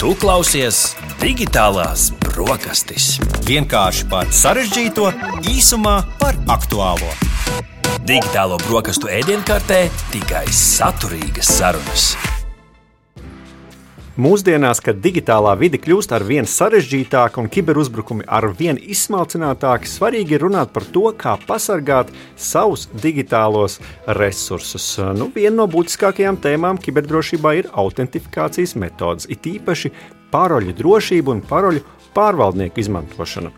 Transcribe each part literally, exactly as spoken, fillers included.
Tu klausies Digitālās brokastis. Vienkārši par sarežģīto, īsumā par aktuālo. Digitālo brokastu ēdienkartē tikai saturīgas sarunas. Mūsdienās, kad digitālā vide kļūst ar vien sarežģītāka un kiberuzbrukumi ar vien izsmalcinātāki, svarīgi ir runāt par to, kā pasargāt savus digitālos resursus. Nu, viena no būtiskākajām tēmām kiberdrošībā ir autentifikācijas metodas, it īpaši paroļu drošība un paroļu pārvaldnieku izmantošana.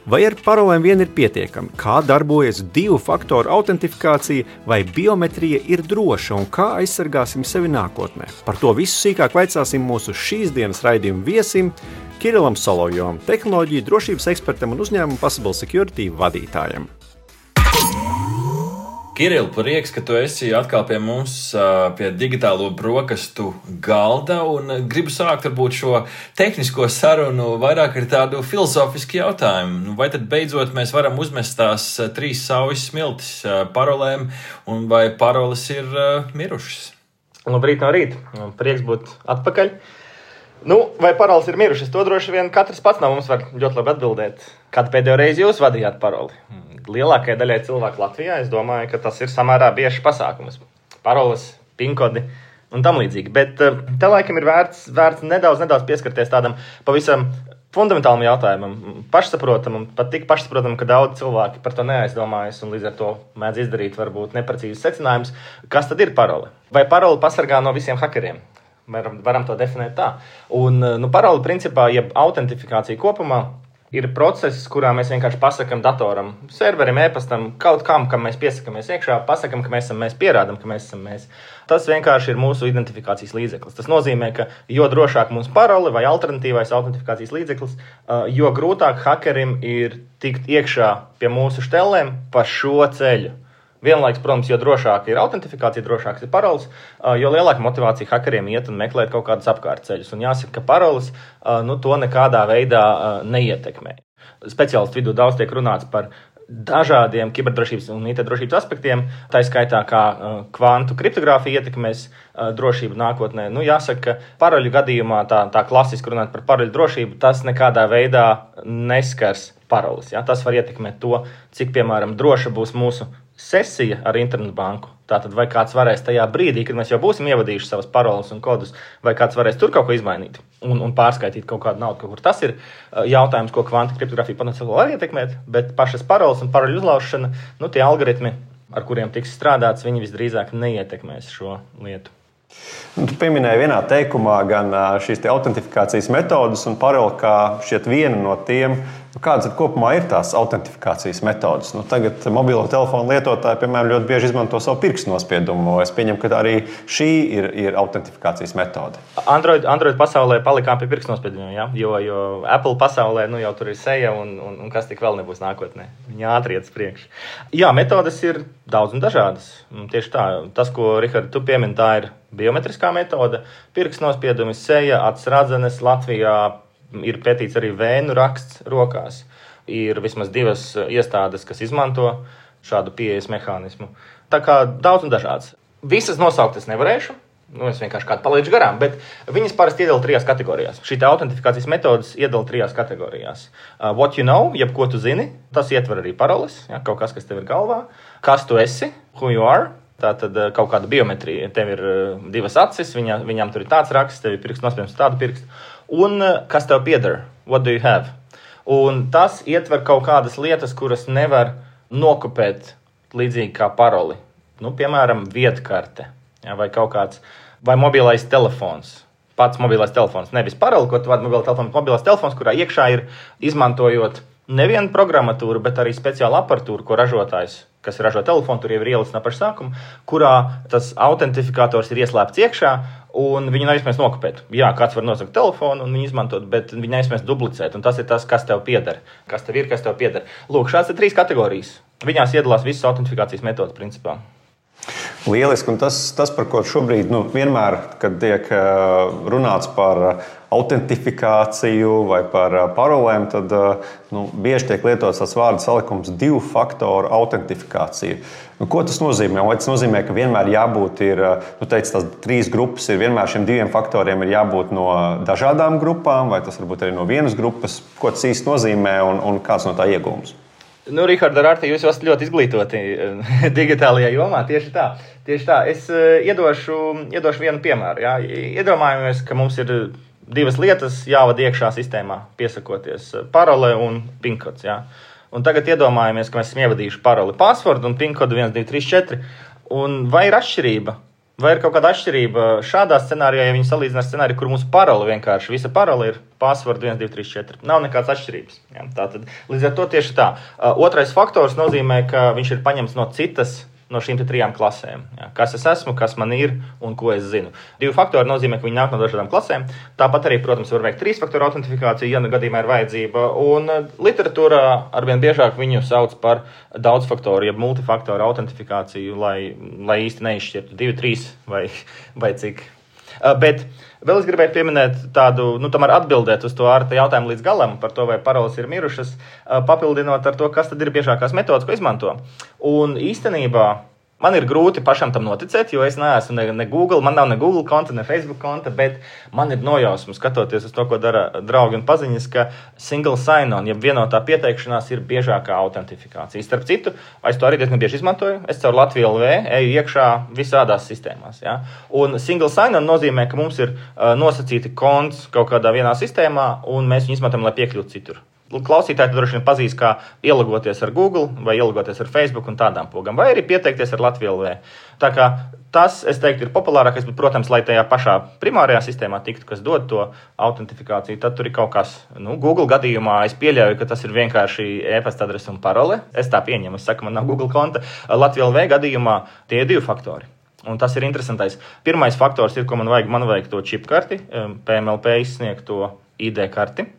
Vai ar parolēm vien ir pietiekami? Kā darbojas divu faktoru autentifikācija, vai biometrija ir droša un kā aizsargāsim sevi nākotnē? Par to visu sīkāk vaicāsim mūsu šīs dienas raidījuma viesim Kirilam Solovjovam, tehnoloģiju drošības ekspertam un uzņēmumu Possible Security vadītājam. Kiril, prieks, ka tu esi atkal pie mums, pie digitālo brokastu galda, un gribu sākt varbūt šo tehnisko sarunu vairāk ar tādu filozofisku jautājumu. Vai tad beidzot mēs varam uzmest tās trīs saujas smiltis parolēm, un vai paroles ir mirušas? Labrīt no rīta. Prieks būt atpakaļ. Nu, vai paroles ir mirušas? To droši vien katrs pats no mums var ļoti labi atbildēt. Kad pēdējo reizi jūs vadījāt paroli? Lielākajai daļai cilvēku Latvijā, es domāju, ka tas ir samērā biežs pasākums. Paroles, pinkodi un tam līdzīgi. Bet te laikam ir vērts, vērts nedaudz, nedaudz pieskarties tādam pavisam fundamentālam jautājumam, pašsaprotamam, pat tik pašsaprotamam, ka daudz cilvēki par to neaizdomājas un līdz ar to mēdz izdarīt varbūt neprecīzus secinājumus. Kas tad ir parole? Vai parole pasargā no visiem hakeriem? Varam, varam to definēt tā. Un, nu, parole principā, jeb autentifikācija kopumā, ir process, kurā mēs vienkārši pasakam datoram, serverim, e-pastam, kaut kam, kam mēs piesakamies iekšā, pasakam, ka mēs esam mēs, pierādam, ka mēs esam mēs. Tas vienkārši ir mūsu identifikācijas līdzeklis. Tas nozīmē, ka jo drošāk mums parole vai alternatīvais autentifikācijas līdzeklis, jo grūtāk hakerim ir tikt iekšā pie mūsu štelēm pa šo ceļu. Vienlaiks, protams, jo drošāka ir autentifikācija, drošāks ir paroles, jo lielāka motivācija hakeriem iet un meklēt kaut kādus apkārtceļus. Un jāsaka, ka paroles nu, to nekādā veidā neietekmē. Speciālistu vidū daudz tiek runāts par dažādiem kiberdrošības un I T drošības aspektiem, tā skaitā kā kvantu kriptogrāfija ietekmēs drošību nākotnē. Nu, jāsaka, ka paroļu gadījumā tā, tā klasiski runāt par paroļu drošību, tas nekādā veidā neskars paroles. Ja? Tas var ietekmēt to, cik, piemēram, droša būs mūsu sesija ar internetu banku. Tātad vai kāds varēs tajā brīdī, kad mēs jau būsim ievadījuši savas paroles un kodus, vai kāds varēs tur kaut ko izmainīt un, un pārskaitīt kaut kādu naudu, kaut kur. Tas ir jautājums, ko kvanta kriptogrāfija potenciāli var ietekmēt, bet pašas paroles un paroļu uzlaušana, nu tie algoritmi, ar kuriem tiks strādāts, viņi visdrīzāk neietekmēs šo lietu. Tu pieminēji vienā teikumā gan šīs te autentifikācijas metodas un paroli kā šķiet viena no tiem. Kādas kopumā ir tās autentifikācijas metodas? Nu, tagad mobilo telefonu lietotāji, piemēram, ļoti bieži izmanto savu pirkstu nospiedumu. Es pieņemu, ka arī šī ir, ir autentifikācijas metode. Android, Android pasaulē palikām pie pirkstu nospiedumiem, ja? jo, jo Apple pasaulē nu, jau tur ir seja un, un, un kas tik vēl nebūs nākotnē. Viņa ātri iet uz priekšu. Jā, metodas ir daudz un dažādas. Tieši tā, tas, ko, Rihard, tu piemini, tā ir biometriskā metode. Pirkstu nospiedumi, seja, acis radzenes. Latvijā ir pētīts arī vēnu raksts rokās. Ir vismaz divas iestādes, kas izmanto šādu pieejas mehānismu. Tā kā daudz un dažāds. Visas nosaukt es nevarēšu, nu es vienkārši kādu palaidu garām, bet viņas parasti iedala trijās kategorijās. Šī autentifikācijas metodas iedala trijās kategorijās. Uh, what you know, jeb ko tu zini, tas ietver arī paroles, ja, kaut kas, kas tev ir galvā. Kas tu esi, who you are. Tā tad kaut kāda biometrija. Tev ir divas acis, viņa, viņām tur ir tāds raksts, tev ir pirksts nospiedums tādu pirkstu. Un kas tev pieder? What do you have? Un tas ietver kaut kādas lietas, kuras nevar nokopēt līdzīgi kā paroli. Nu, piemēram, viedkarte, ja, vai kaut kāds, vai mobilais telefons. Pats mobilais telefons, nevis paroli, ko tu vadi mobilais telefons, mobilais telefons, kurā iekšā ir izmantojot nevienu programmatūru, bet arī speciālu aparatūru, ko ražotājs, kas ražo telefonu, tur jau ir ielicis no paša sākuma, kurā tas autentifikators ir ieslēpts iekšā, un viņu nav iespējams nokopēt. Jā, kāds var nosakt telefonu un viņu izmantot, bet viņu nav iespējams duplicēt, un tas ir tas, kas tev pieder. Kas tev ir, kas tev pieder. Lūk, šāds ir trīs kategorijas. Viņās iedalās visas autentifikācijas metodas principā. Lieliski, un tas, tas par ko šobrīd nu, vienmēr, kad tiek runāts par autentifikāciju vai par parolēm, tad nu, bieži tiek lietots tas vārdu salikums divu faktoru autentifikācija. Nu, ko tas nozīmē? Vai tas nozīmē, ka vienmēr jābūt ir, nu, teic, tās trīs grupas ir vienmēr šiem diviem faktoriem ir jābūt no dažādām grupām, vai tas varbūt arī no vienas grupas? Ko tas īsti nozīmē un, un kāds no tā iegūms? Nu, Rihards, ar Arti, jūs esat ļoti izglītoti digitālajā jomā. Tieši tā. Tieši tā. Es iedošu, iedošu vienu piemēru. Jā. Iedomājamies, ka mums ir divas lietas jāvada iekšā sistēmā, piesakoties parole un pinkods. Jā. Un tagad iedomājamies, ka mēs esam ievadījuši paroli passwordu un pinkodu viens, divi, trīs, četri. Un vai ir atšķirība? Vai ir kaut kāda atšķirība šādā scenārijā, ja viņi salīdzina ar scenāriju, kur mūsu parole vienkārši, visa parole ir password viens, divi, trīs, četri. Nav nekādas atšķirības. Ja? Tātad, līdz ar to tieši tā. Otrais faktors nozīmē, ka viņš ir paņemts no citas, no šīm trijām klasēm. Ja? Kas es esmu, kas man ir un ko es zinu. Divi faktori nozīmē, ka viņi nāk no dažādām klasēm. Tāpat arī, protams, var veikt trīs faktoru autentifikāciju, ja gadījumā ir vajadzība. Un literatūrā arvien biežāk viņu sauc par daudzfaktoru, jeb multifaktoru autentifikāciju, lai, lai īsti neizšķirtu divi, trīs vai, vai cik. Bet vēl es gribēju pieminēt tādu, nu, tomēr atbildēt uz to Arta jautājumu līdz galam par to, vai paroles ir mirušas, papildinot ar to, kas tad ir biežākās metodas, ko izmanto. Un īstenībā man ir grūti pašam tam noticēt, jo es neesmu ne, ne Google, man nav ne Google konta, ne Facebook konta, bet man ir nojausma, skatoties uz to, ko dara draugi un paziņas, ka single sign-on, jeb vienotā pieteikšanās ir biežākā autentifikācija. Starp citu, es to arī diezgan bieži izmantoju, es caur Latviju L V eju iekšā visādās sistēmās. Ja? Un single sign-on nozīmē, ka mums ir uh, nosacīti konts kaut kādā vienā sistēmā, un mēs viņu izmantojam, lai piekļūtu citur. Klausītāji droši vien pazīst, kā ielogoties ar Google vai ielogoties ar Facebook un tādām pogām, vai arī pieteikties ar Latviju L V. Tā kā tas, es teiktu, ir populārākais, bet, protams, lai tajā pašā primārajā sistēmā tiktu, kas dod to autentifikāciju, tad tur ir kaut kas. Nu, Google gadījumā es pieļauju, ka tas ir vienkārši e-pasta adrese un parole. Es tā pieņemu, es saku, man nav Google konta. Latviju L V gadījumā tie ir divi faktori. Un tas ir interesantais. Pirmais faktors ir, ko man vajag, man vajag to čip karti, P M L P izsniegto I D karti.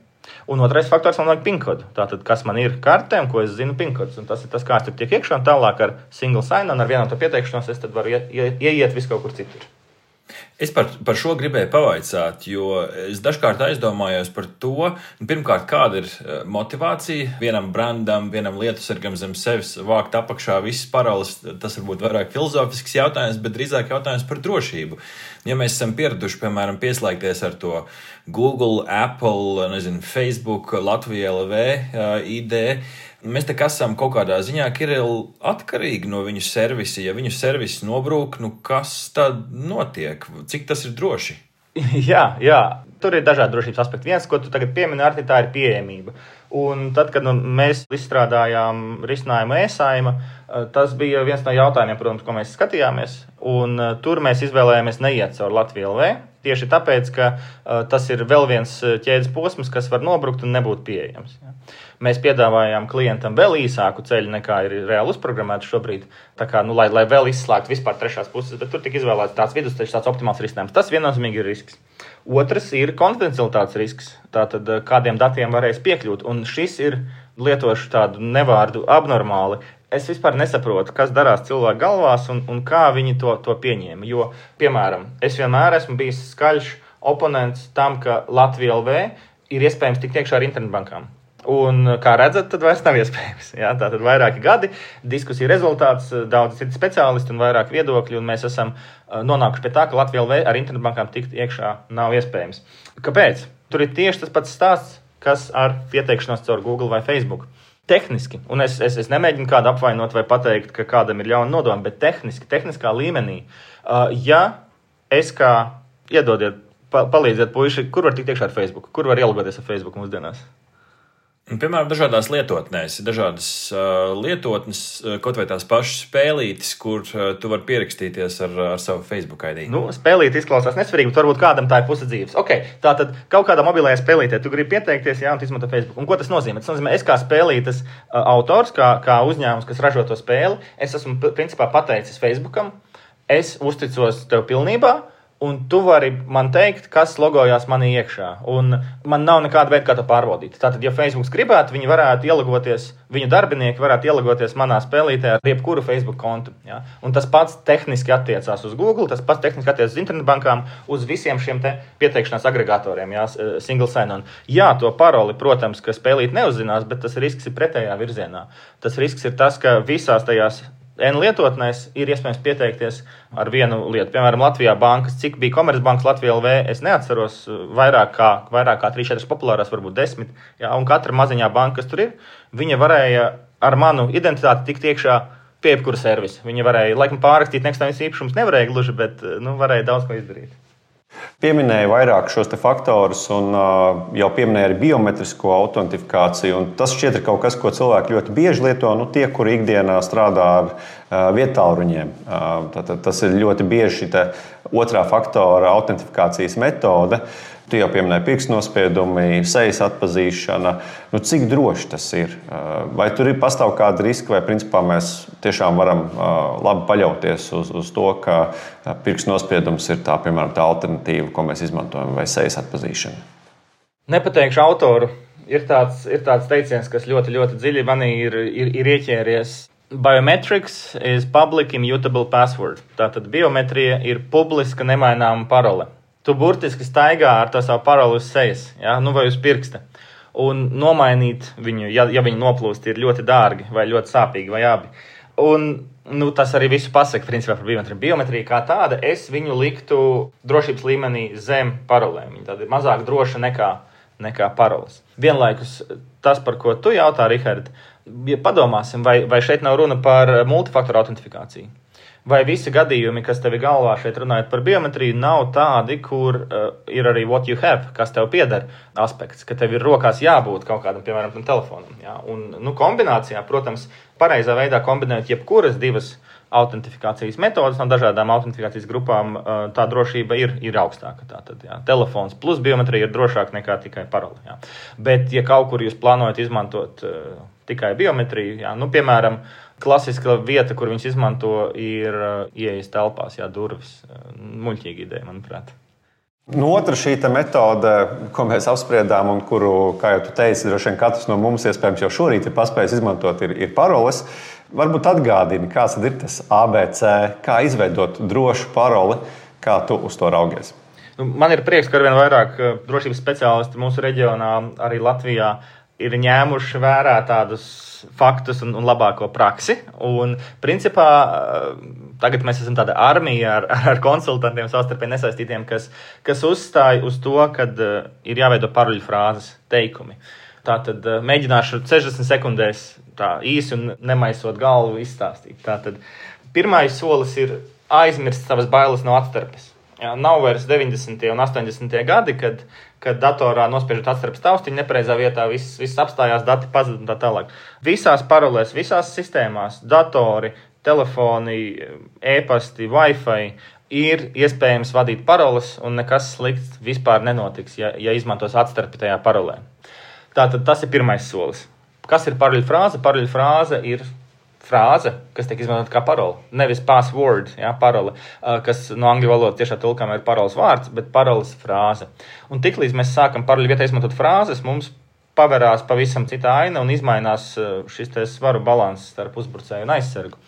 Un otrais faktors man vajag pinkodu. Tātad, kas man ir kartē un ko es zinu pinkodus. Un tas ir tas, kā es tur tiek iekšā un tālāk ar single sign un ar vienoto pieteikšanos es tad varu ie, ie, ieiet visu kaut kur citur. Es par, par šo gribēju pavaicāt, jo es dažkārt aizdomājos par to, pirmkārt, kāda ir motivācija vienam brandam, vienam lietusargam zem sevis vākt apakšā visas paroles. Tas varbūt vairāk filozofisks jautājums, bet drīzāk jautājums par drošību. Ja mēs esam pieraduši, piemēram, pieslēgties ar to Google, Apple, nezinu, Facebook, Latvija L V, I D, mēs te esam kaut kādā ziņā atkarīgi no viņu servisa. Ja viņu servis nobrūk, nu kas tad notiek? Cik tas ir droši? Jā, jā. Tur ir dažādi drošības aspekti. Viens, ko tu tagad piemini, Arti, tā ir pieejamība. Un tad, kad nu, mēs izstrādājām risinājumu e-saima, tas bija viens no jautājumiem, protams, ko mēs skatījāmies. Un tur mēs izvēlējāmies neiet caur Latviju L V. Tieši tāpēc, ka uh, tas ir vēl viens ķēdes posms, kas var nobrukt un nebūt pieejams. Ja. Mēs piedāvājām klientam vēl īsāku ceļu, nekā ir reāli uzprogrammēts šobrīd, tā kā, nu, lai, lai vēl izslēgtu vispār trešās puses, bet tur tika izvēlēts tāds vidusceļš, tāds optimāls risinājums. Tas viennozīmīgi ir risks. Otrs ir konfidencialitātes risks, tātad kādiem datiem varēs piekļūt, un šis ir, lietošu tādu nevārdu abnormāli, es vispār nesaprotu, kas darās cilvēku galvās un, un kā viņi to, to pieņēma. Jo, piemēram, es vienmēr esmu bijis skaļš oponents tam, ka Latvija L V ir iespējams tikt iekšā ar internetbankām. Un, kā redzat, tad vairs nav iespējams. Jā, tātad vairāki gadi, diskusija rezultāts, daudz citi speciālisti un vairāk viedokļi, un mēs esam nonākuši pie tā, ka Latvija L V ar internetbankām tikt iekšā nav iespējams. Kāpēc? Tur ir tieši tas pats stāsts, kas ar pieteikšanos caur Google vai Facebook. Tehniski, un es, es, es nemēģinu kādu apvainot vai pateikt, ka kādam ir ļauna nodoma, bet tehniski, tehniskā līmenī, uh, ja es kā, iedodiet, pa, palīdziet puiši, kur var tikt iekšā ar Facebook, kur var ielogoties ar Facebook mūsdienās? Piemēram, dažādās lietotnēs, dažādas uh, lietotnes, kaut vai tās pašas spēlītes, kur uh, tu vari pierakstīties ar, ar savu Facebook I D. Nu, spēlīte izklausās nesvarīgi, bet varbūt kādam tā ir puse dzīves. Ok, tātad kaut kādā mobilajā spēlītē tu gribi pieteikties, jā, un tu izmanto Facebook. Un ko tas nozīmē? Tas nozīmē, es kā spēlītes uh, autors, kā, kā uzņēmums, kas ražo to spēli, es esmu principā pateicis Facebookam, es uzticos tev pilnībā, un tu vari man teikt, kas logojās manī iekšā. Un man nav nekāda veida, kā to pārbaudīt. Tātad, ja Facebook gribētu, viņi varētu ielagoties, viņu darbinieki varētu ielagoties manā spēlītē ar jebkuru Facebook kontu. Ja? Un tas pats tehniski attiecās uz Google, tas pats tehniski attiecās uz internetbankām, uz visiem šiem te pieteikšanās agregatoriem, ja? Single sign-on. Jā, to paroli, protams, ka spēlīt neuzzinās, bet tas risks ir pretējā virzienā. Tas risks ir tas, ka visās tajās N lietotnēs ir iespējams pieteikties ar vienu lietu. Piemēram, Latvijā bankas, cik bija Komercbankas Latvija L V, es neatceros, vairāk kā, vairāk kā trīs četras populārās, varbūt desmit. Jā, un katra maziņā banka, kas tur ir, viņa varēja ar manu identitāti tikt iekšā pie jebkura servisa. Viņa varēja, laikam pārrakstīt nekustamības īpašumus, nevarēja gluži, bet nu, varēja daudz ko izdarīt. Pieminēja vairāk šos te faktorus un uh, jau pieminēja arī biometrisko autentifikāciju. Tas šķiet ir kaut kas, ko cilvēki ļoti bieži lieto, nu, tie, kuri ikdienā strādā ar uh, vietāluņiem. Uh, tātad, tas ir ļoti bieži šī otrā faktora autentifikācijas metode. Tu jau pieminēji pirkstnospiedumi, sejas atpazīšana. Nu, cik droši tas ir? Vai tur ir pastāv kāda riska, vai principā mēs tiešām varam labi paļauties uz, uz to, ka pirkstnospiedums ir tā, piemēram, tā alternatīva, ko mēs izmantojam, vai sejas atpazīšana? Nepateikšu autoru. Ir tāds, ir tāds teiciens, kas ļoti, ļoti dziļi manī ir, ir, ir ieķēries. Biometrics is public immutable password. Tātad biometrija ir publiska nemaināma parole. Tu burtiski staigā ar to savu paroli uz sejas, ja? Nu, vai uz pirksta. Un nomainīt viņu, ja, ja viņi noplūst, ir ļoti dārgi vai ļoti sāpīgi vai abi. Un nu, tas arī visu pasaka, principā, par biometriju. Biometrija kā tāda, es viņu liktu drošības līmenī zem parolēm. Viņa tāda ir mazāk droša nekā, nekā paroles. Vienlaikus tas, par ko tu jautā, Rihard, padomāsim, vai, vai šeit nav runa par multifaktoru autentifikāciju. Vai visi gadījumi, kas tev ir galvā šeit runājot par biometriju, nav tādi, kur uh, ir arī what you have, kas tev pieder aspekts, ka tev ir rokās jābūt kaut kādam, piemēram, tam telefonam. Ja? Un, nu, kombinācijā, protams, pareizā veidā kombinējot jebkuras divas autentifikācijas metodas no dažādām autentifikācijas grupām, uh, tā drošība ir, ir augstāka. Tātad, ja? Telefons plus biometrija ir drošāk nekā tikai paroli. Ja? Bet, ja kaut kur jūs plānojat izmantot uh, tikai biometriju, ja? Nu, piemēram, klasiska vieta, kur viņš izmanto, ir uh, ieejas telpās, jā, durvis. Muļķīga ideja, manuprāt. Nu, otra šī metode, ko mēs apspriedām un kuru, kā jau tu teici, droši vien katrs no mums iespējams jau šorīt ir paspējis izmantot, ir, ir paroles. Varbūt atgādini, kāds ir tas A B C, kā izveidot drošu paroli, kā tu uz to raugies. Nu, man ir prieks, ka arvien vairāk drošības speciālisti mūsu reģionā, arī Latvijā, ir ņēmuši vērā tādus faktus un, un labāko praksi. Un, principā, tagad mēs esam tāda armija ar, ar konsultantiem, savstarpēji nesaistītiem, kas, kas uzstāja uz to, ka ir jāveido paroļu frāzes, teikumi. Tātad mēģināšu sešdesmit sekundēs tā īsi un nemaisot galvu izstāstīt. Tātad pirmais solis ir aizmirst savas bailes no atstarpes. Jā, nav vairs deviņdesmitie un astoņdesmitie gadi, kad, kad datorā nospiežot atstarpes taustiņu, nepareizā vietā viss, viss apstājās, dati pazud un tā tālāk. Visās parolēs, visās sistēmās, datori, telefoni, e-pasti, Wi-Fi ir iespējams vadīt paroles un nekas slikts vispār nenotiks, ja, ja izmantos atstarpi tajā parolē. Tātad tas ir pirmais solis. Kas ir paroļu frāze? Paroļu frāze ir frāze, kas tiek izmantot kā parole. Nevis password, ja, parole, kas no angļu valodas tiešā tulkojumā ir paroles vārds, bet paroles frāze. Un tiklīdz mēs sākam paroļu vietā izmantot frāzes, mums paverās pavisam cita aina un izmainās šis te svaru balanss starp uzbrucēju un aizsargu.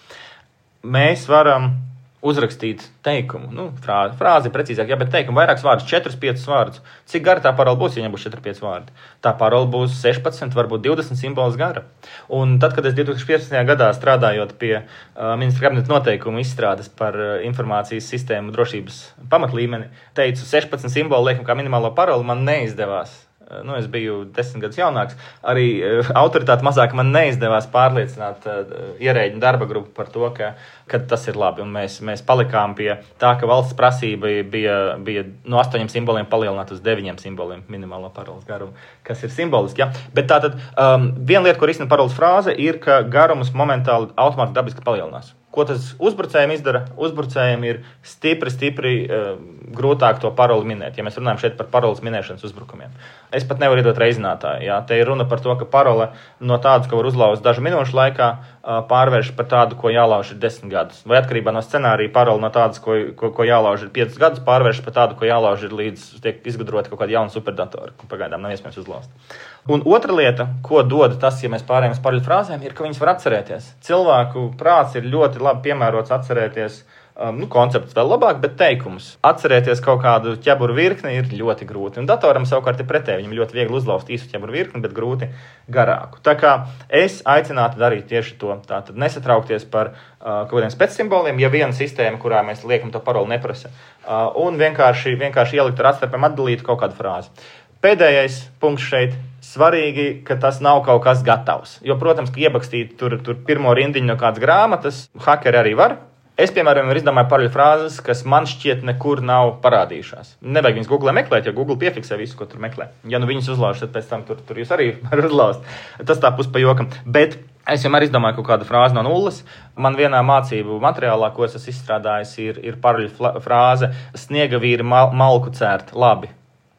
Mēs varam uzrakstīt teikumu, nu, frāzi, frāzi precīzāk, jā, bet teikumu vairākus vārdus, četrus, piecus vārdus. Cik gara tā parola būs, ja viņam būs četri, pieci vārdi? Tā parola būs sešpadsmit, varbūt divdesmit simbolus gara. Un tad, kad es divtūkstoš piecpadsmitajā gadā strādājot pie uh, ministra kabineta noteikumu izstrādes par uh, informācijas sistēmu drošības pamatlīmeni, teicu sešpadsmit simbolu liekam kā minimālo paroli, man neizdevās. Nu, es biju desmit gadus jaunāks, arī uh, autoritāte mazāk man neizdevās pārliecināt uh, ierēģiņu darba grupu par to, ka, ka tas ir labi. Un mēs, mēs palikām pie tā, ka valsts prasība bija, bija no astoņiem simboliem palielināt uz deviņiem simboliem minimālo paroles garumu, kas ir simboliski. Ja? Bet tātad um, viena lieta, ko risina paroles frāze, ir, ka garums momentāli automātiski dabiski palielinās. Ko tas uzbrucējiem izdara? Uzbrucējiem ir stipri, stipri uh, grūtāk to paroli minēt, ja mēs runājam šeit par paroles minēšanas uzbrukumiem. Es pat nevaru iedot reizinātāju. Jā. Te ir runa par to, ka parole no tādas, ko var uzlauzt dažu minūšu laikā, uh, pārvērš par tādu, ko jālauž ir desmit gadus. Vai atkarībā no scenārija parole no tādas, ko, ko, ko jālauž ir piecus gadus, pārvērš par tādu, ko jālauž ir līdz tiek izgudrota kaut kāda jauna superdatora, ko pagaidām nav iespējams uzlauzt. Un otra lieta, ko dod tas, ja mēs pārējām uz paroļu frāzēm, ir, ka viņas var atcerēties. Cilvēku prāts ir ļoti labi piemērots atcerēties, um, nu, koncepts vēl labāk, bet teikumus. Atcerēties kaut kādu ķeburu virkni ir ļoti grūti. Un datoram savukārt ir pretēji. Viņam ļoti viegli uzlauzt īsu ķeburu virkni, bet grūti garāku. Tā kā es aicinātu darīt tieši to. Tātad nesatraukties par uh, kaut kādiem specsimboliem, ja viena sistēma, kurā mēs liekam to paroli neprasa, uh, un vienkārši, vienkārši ielikt ar atstarpēm atdalīt kaut kādu frāzi. Pēdējais punkts šeit. Svarīgi, ka tas nav kaut kas gatavs. Jo, protams, ka iebakstīt tur, tur pirmo rindiņu no kādas grāmatas, hakeri arī var. Es, piemēram, izdomāju paroļu frāzes, kas man šķiet nekur nav parādījušās. Nevajag viņas Google meklēt, jo Google piefiksē visu, ko tur meklē. Ja nu viņas uzlauž, tad pēc tam tur, tur jūs arī varat uzlauzt. Tas tā pus pa jokam. Bet es vienmēr izdomāju kaut kādu frāzi no nulles. Man vienā mācību materiālā, ko es esmu izstrādājis, ir, ir paroļu frāze sniega vīri mal, malku cērt labi.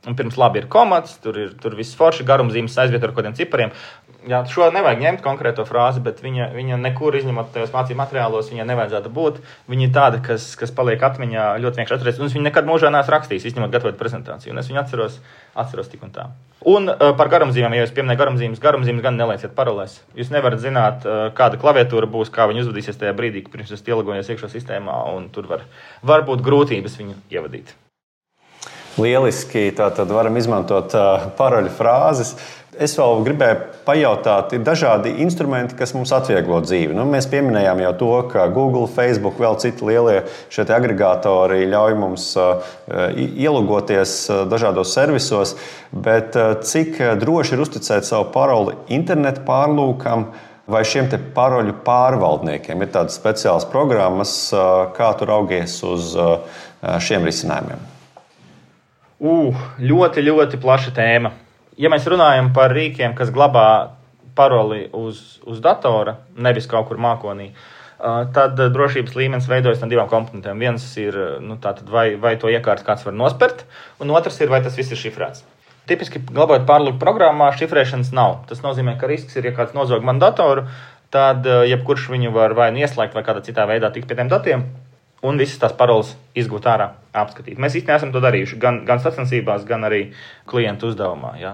Un pirms labi ir komats, tur ir tur viss forši, garumzīmes aizvieto ar kādiem cipariem. Jā, šo nevajag ņemt konkrēto frāzi, bet viņa, viņa nekur izņemot tajos mācību materiālos, viņa nevajadzētu būt. Viņa ir tāda, kas, kas paliek atmiņā ļoti vienkārši atcerēties. Un es viņu nekad mūžā neesmu rakstījis, izņemot gatavot prezentāciju. Un es viņu atceros, atceros tik un tā. Un uh, par garumzīmēm, ja jūs pieminējat garumzīmes, garumzīmes gan nelieciet parolēs. Jūs nevarat zināt, uh, kāda klaviatūra būs, kā viņa uzvadīsies tajā brīdī, pirms jūs ielogojat iekšā sistēmā, un tur var, var būt grūtības viņu ievadīt. Lieliski, tātad varam izmantot uh, paroļu frāzes. Es vēl gribēju pajautāt, ir dažādi instrumenti, kas mums atvieglo dzīvi. Nu, mēs pieminējām jau to, ka Google, Facebook, vēl citi lielie šie agregātori ļauj mums uh, ielogoties uh, dažādos servisos, bet uh, cik droši ir uzticēt savu paroli internetu pārlūkam vai šiem te paroļu pārvaldniekiem? Ir tādas speciālas programmas, uh, kā tu raugies uz uh, šiem risinājumiem? Uh, ļoti, ļoti plaša tēma. Ja mēs runājam par rīkiem, kas glabā paroli uz, uz datora, nevis kaut kur mākonī, uh, tad drošības līmenis veidojas no divām komponentēm. Viens ir, nu, tātad, vai, vai to iekārtu kāds var nospert, un otrs ir, vai tas viss ir šifrēts. Tipiski glabājot pārlūku programmā, šifrēšanas nav. Tas nozīmē, ka risks ir, ja kāds nozog man datoru, tad uh, jebkurš viņu var vai nu ieslēgt vai kādā citā veidā tikt pie tiem datiem, un visas tās paroles izgūt ārā, apskatīt. Mēs īstenībā esam to darījuši gan, gan sacensībās, gan arī klientu uzdevumā. Jā.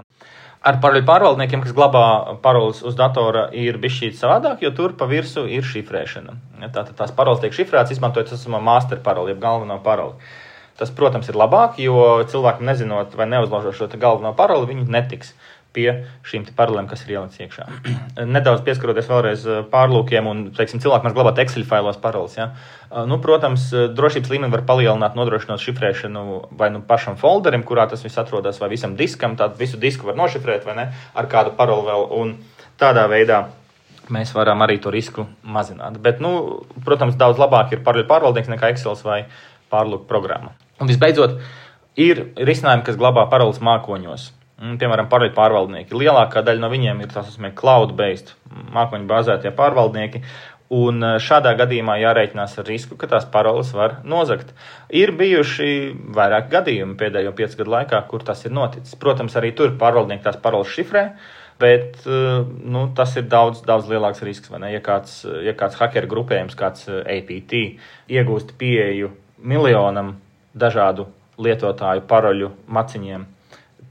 Ar paroļu pārvaldniekiem, kas glabā paroles uz datora, ir bišķīt savādāk, jo tur pa virsu ir šifrēšana. Tātad tās paroles tiek šifrētas, izmantojot esamo master paroli, jeb galveno paroli. Tas, protams, ir labāk, jo cilvēkam nezinot vai neuzlaužot šo galveno paroli, viņi netiks pie šīm parolēm, kas ir ielikts iekšā. Nedaudz pieskaroties vēlreiz pārlūkiem un, teiksim, cilvēki mēs glabāt Excel failos paroles. Ja? Nu, protams, drošības līmeni var palielināt, nodrošinot šifrēšanu vai nu pašam folderim, kurā tas viss atrodas, vai visam diskam, tātad visu disku var nošifrēt vai ne, ar kādu paroli vēl, un tādā veidā mēs varam arī to risku mazināt. Bet, nu, protams, daudz labāk ir paroļu pārvaldnieks nekā Excel vai pārlūku programma. Un visbeidzot, ir risinājumi, kas glabā paroles mākoņos. Piemēram, paroļu pārvaldnieki. Lielākā daļa no viņiem ir tās cloud-based mākoņu bāzētie pārvaldnieki, un šādā gadījumā jārēķinās ar risku, ka tās paroles var nozagt. Ir bijuši vairāk gadījumi pēdējo piecu gadu laikā, kur tas ir noticis. Protams, arī tur pārvaldnieki tās paroles šifrē, bet nu, tas ir daudz, daudz lielāks risks. Vai ne? Ja kāds, ja kāds hakeru grupējums, kāds A P T, iegūst pieeju miljonam dažādu lietotāju paroļu maciņiem,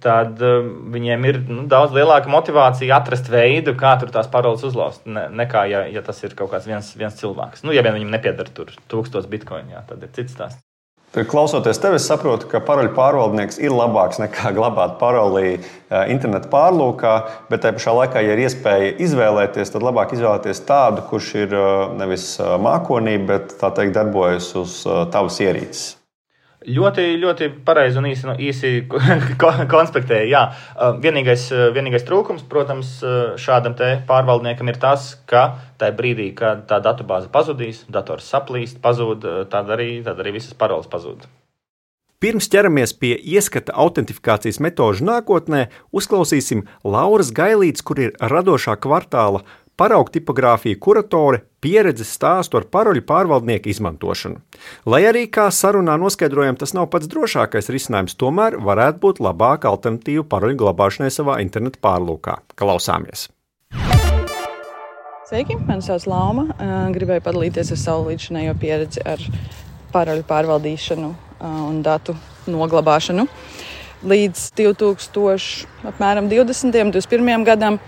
tad uh, viņiem ir nu, daudz lielāka motivācija atrast veidu, kā tur tās paroles uzlauzt, ne, nekā, ja, ja tas ir kaut kāds viens, viens cilvēks. Nu, ja vien viņam nepiedara tur tūkstots bitkoini, jā, tad ir cits stāsts. Klausoties tevi, es saprotu, ka paroļu pārvaldnieks ir labāks nekā glabāt paroli internetu pārlūkā, bet tajā pašā laikā, ja ir iespēja izvēlēties, tad labāk izvēlēties tādu, kurš ir nevis mākonī, bet tā teikt darbojas uz tavas ierīces. Ļoti, ļoti pareizi un īsi, īsi konspektēja. Jā. Vienīgais, vienīgais trūkums, protams, šādam te pārvaldniekam ir tas, ka tajā brīdī, kad tā datubāze pazudīs, dators saplīst, pazūd, tad arī, tad arī visas paroles pazūd. Pirms ķeramies pie ieskata autentifikācijas metožu nākotnē, uzklausīsim Lauras Gailītes, kur ir radošā kvartāla paraugu tipogrāfija kuratore pieredzes stāstu ar paroļu pārvaldnieku izmantošanu. Lai arī kā sarunā noskaidrojam, tas nav pats drošākais risinājums, tomēr varētu būt labāka alternatīva paroļu glabāšanai savā interneta pārlūkā. Klausāmies! Sveiki, mani sauc Lauma. Gribēju padalīties ar savu līdzinējo pieredzi ar paroļu pārvaldīšanu un datu noglabāšanu. Līdz divtūkstošiem divdesmitajam, divdesmit pirmajam gadam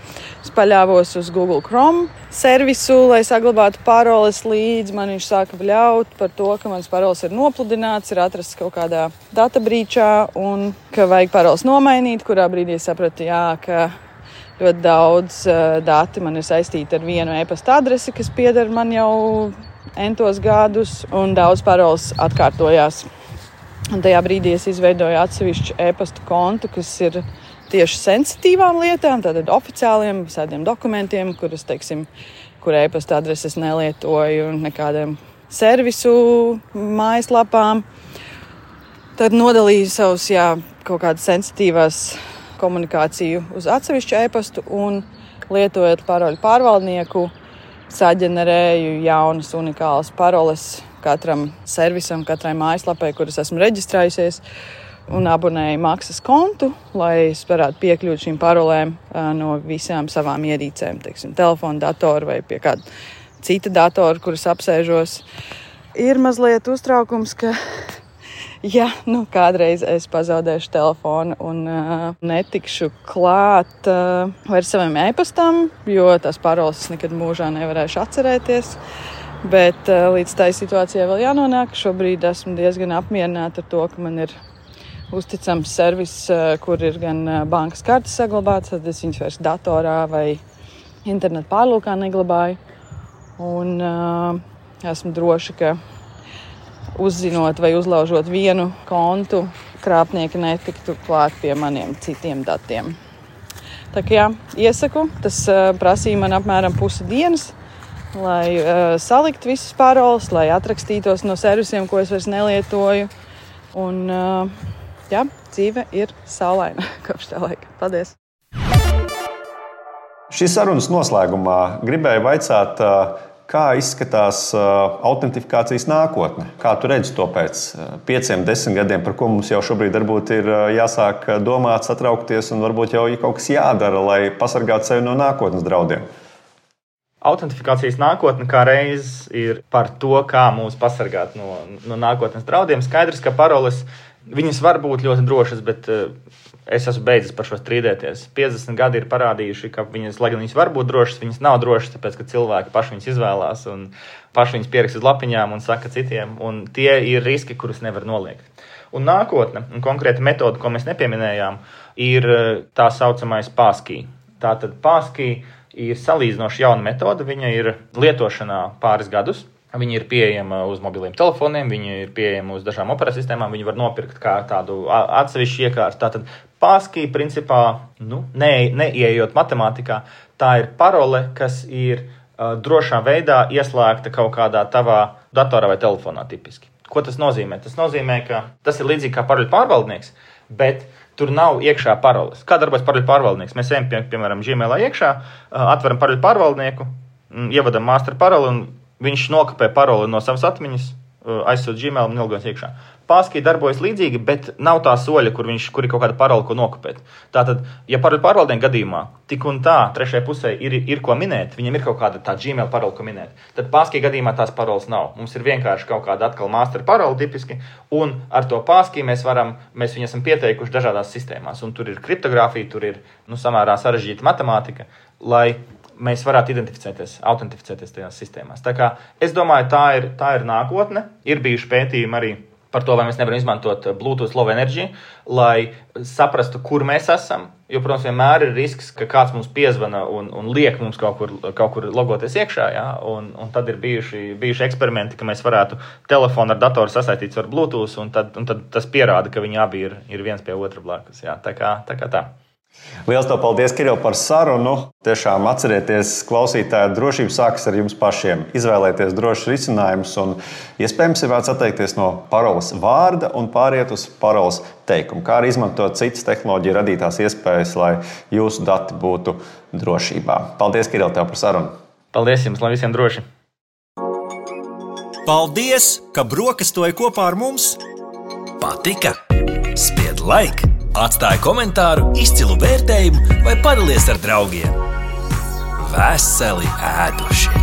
es paļāvos uz Google Chrome servisu, lai saglabātu paroles, līdz man viņš sāka bļaut par to, ka mans paroles ir nopludināts, ir atrasts kaut kādā databrīčā un ka vajag paroles nomainīt, kurā brīdī es sapratu, jā, ka ļoti daudz uh, dati man ir saistīti ar vienu e-pasta adresi, kas pieder man jau entos gadus, un daudz paroles atkārtojās. Un tajā brīdī es izveidoju atsevišķu e-pasta kontu, kas ir tieši sensitīvām lietām, tātad oficiāliem visādiem dokumentiem, kuras, teiksim, kur e-pasta adreses nelietoju nekādiem servisu mājaslapām. Tad nodalīju savus, jā, kaut kādas sensitīvās komunikāciju uz atsevišķu e-pastu un lietojot paroļu pārvaldnieku, saģenerēju jaunas unikālas paroles katram servisam, katrai mājaslapai, kuras esmu reģistrējusies, un abonēju maksas kontu, lai es varētu piekļūt šīm parolēm no visām savām ierīcēm, teiksim, telefona, datoru vai pie kāda cita datora, kuras apsēžos. Ir mazliet uztraukums, ka ja nu kādreiz es pazaudēšu telefonu un uh, netikšu klāt uh, vairs saviem e-pastam, jo tās paroles es nekad mūžā nevarēšu atcerēties. Bet uh, līdz tai situācijai vēl jānonāk. Šobrīd esmu diezgan apmierināta ar to, ka man ir uzticams servis, uh, kur ir gan uh, bankas kartes saglabātas, tad es viņas vairs datorā vai internetu pārlūkā neglabāju. Un uh, esmu droši, ka uzzinot vai uzlaužot vienu kontu, krāpnieki netiktu klāt pie maniem citiem datiem. Tā kā jā, iesaku, tas uh, prasīja man apmēram pusi dienas, lai uh, salikt visas paroles, lai atrakstītos no servisiem, ko es vairs nelietoju. Un uh, jā, dzīve ir saulaina kopš tā laika. Paldies! Šīs sarunas noslēgumā gribēju vaicāt, kā izskatās autentifikācijas nākotne? Kā tu redzi to pēc pieciem, desmit gadiem, par ko mums jau šobrīd varbūt ir jāsāk domāt, satraukties un varbūt jau ir kaut kas jādara, lai pasargātu sevi no nākotnes draudiem? Autentifikācijas nākotne kā reiz ir par to, kā mūs pasargāt no, no nākotnes draudiem. Skaidrs, ka paroles, viņas var būt ļoti drošas, bet es esmu beidzis par šo strīdēties. piecdesmit gadi ir parādījuši, ka viņas, lai gan viņas var būt drošas, viņas nav drošas, tāpēc, ka cilvēki paši viņas izvēlās un paši viņas pierakst uz lapiņām un saka citiem, un tie ir riski, kurus nevar noliegt. Un nākotne, un konkrēta metode, ko mēs nepieminējām, ir tā saucamais passkey. Tātad passkey ir salīdzinoši jauna metode, viņa ir lietošanā pāris gadus. Viņa ir pieejama uz mobiliem telefoniem, viņa ir pieejama uz dažām operatsistēmām, viņa var nopirkt kā tādu atsevišķu iekārtu. Tātad passkey principā, nu, ne, neieejot matemātikā, tā ir parole, kas ir uh, drošā veidā ieslēgta kaut kādā tavā datorā vai telefonā tipiski. Ko tas nozīmē? Tas nozīmē, ka tas ir līdzīgi kā paroļu pārvaldnieks, bet tur nav iekšā paroles. Kā darbojas paroļu pārvaldnieks? Mēs ejam, pie, piemēram, Gmailā iekšā, atveram paroļu pārvaldnieku, ievadam master paroli un viņš nokopē paroli no savas atmiņas, aizsūt Gmail un ilgojums iekšā. Passkey darbojas līdzīgi, bet nav tā soļa, kur, viņš, kur ir kaut kāda parola, ko nokopēt. Tātad, ja paroļu pārvaldnieku gadījumā tik un tā trešajai pusē ir, ir ko minēt, viņam ir kaut kāda tā Gmail parola, ko minēt, tad Passkey gadījumā tās parolas nav. Mums ir vienkārši kaut kāda atkal master parola tipiski, un ar to Passkey mēs varam, mēs viņu esam pieteikuši dažādās sistēmās, un tur ir kriptogrāfija, tur ir, nu, samērā sarežģīta matemātika, lai mēs varētu identificēties, autentificēties tajās sistēmās. Tā kā es domāju, tā ir, tā ir nākotne. Ir bijuši pētījumi arī par to, vai mēs nevaram izmantot Bluetooth Low Energy, lai saprastu, kur mēs esam. Jo, protams, vienmēr ir risks, ka kāds mums piezvana un, un liek mums kaut kur, kaut kur logoties iekšā. Ja? Un, un tad ir bijuši, bijuši eksperimenti, ka mēs varētu telefonu ar datoru sasaistīts ar Bluetooth, un tad, un tad tas pierāda, ka viņi abi ir, ir viens pie otra blakus. Ja? Tā kā tā. Kā tā. Liels tev paldies, Kiril, par sarunu. Tiešām atcerieties, klausītāji, drošība sākas ar jums pašiem. Izvēlēties drošus risinājumus un iespējams ir vērts atteikties no paroles vārda un pāriet uz paroles teikumu, kā arī izmantot citas tehnoloģiju radītās iespējas, lai jūsu dati būtu drošībā. Paldies, Kiril, tev par sarunu. Paldies jums, lai visiem droši. Paldies, ka brokastoji kopā ar mums. Patika? Spied like, atstāj komentāru, izcilu vērtējumu vai padalies ar draugiem. Veseli ēduši!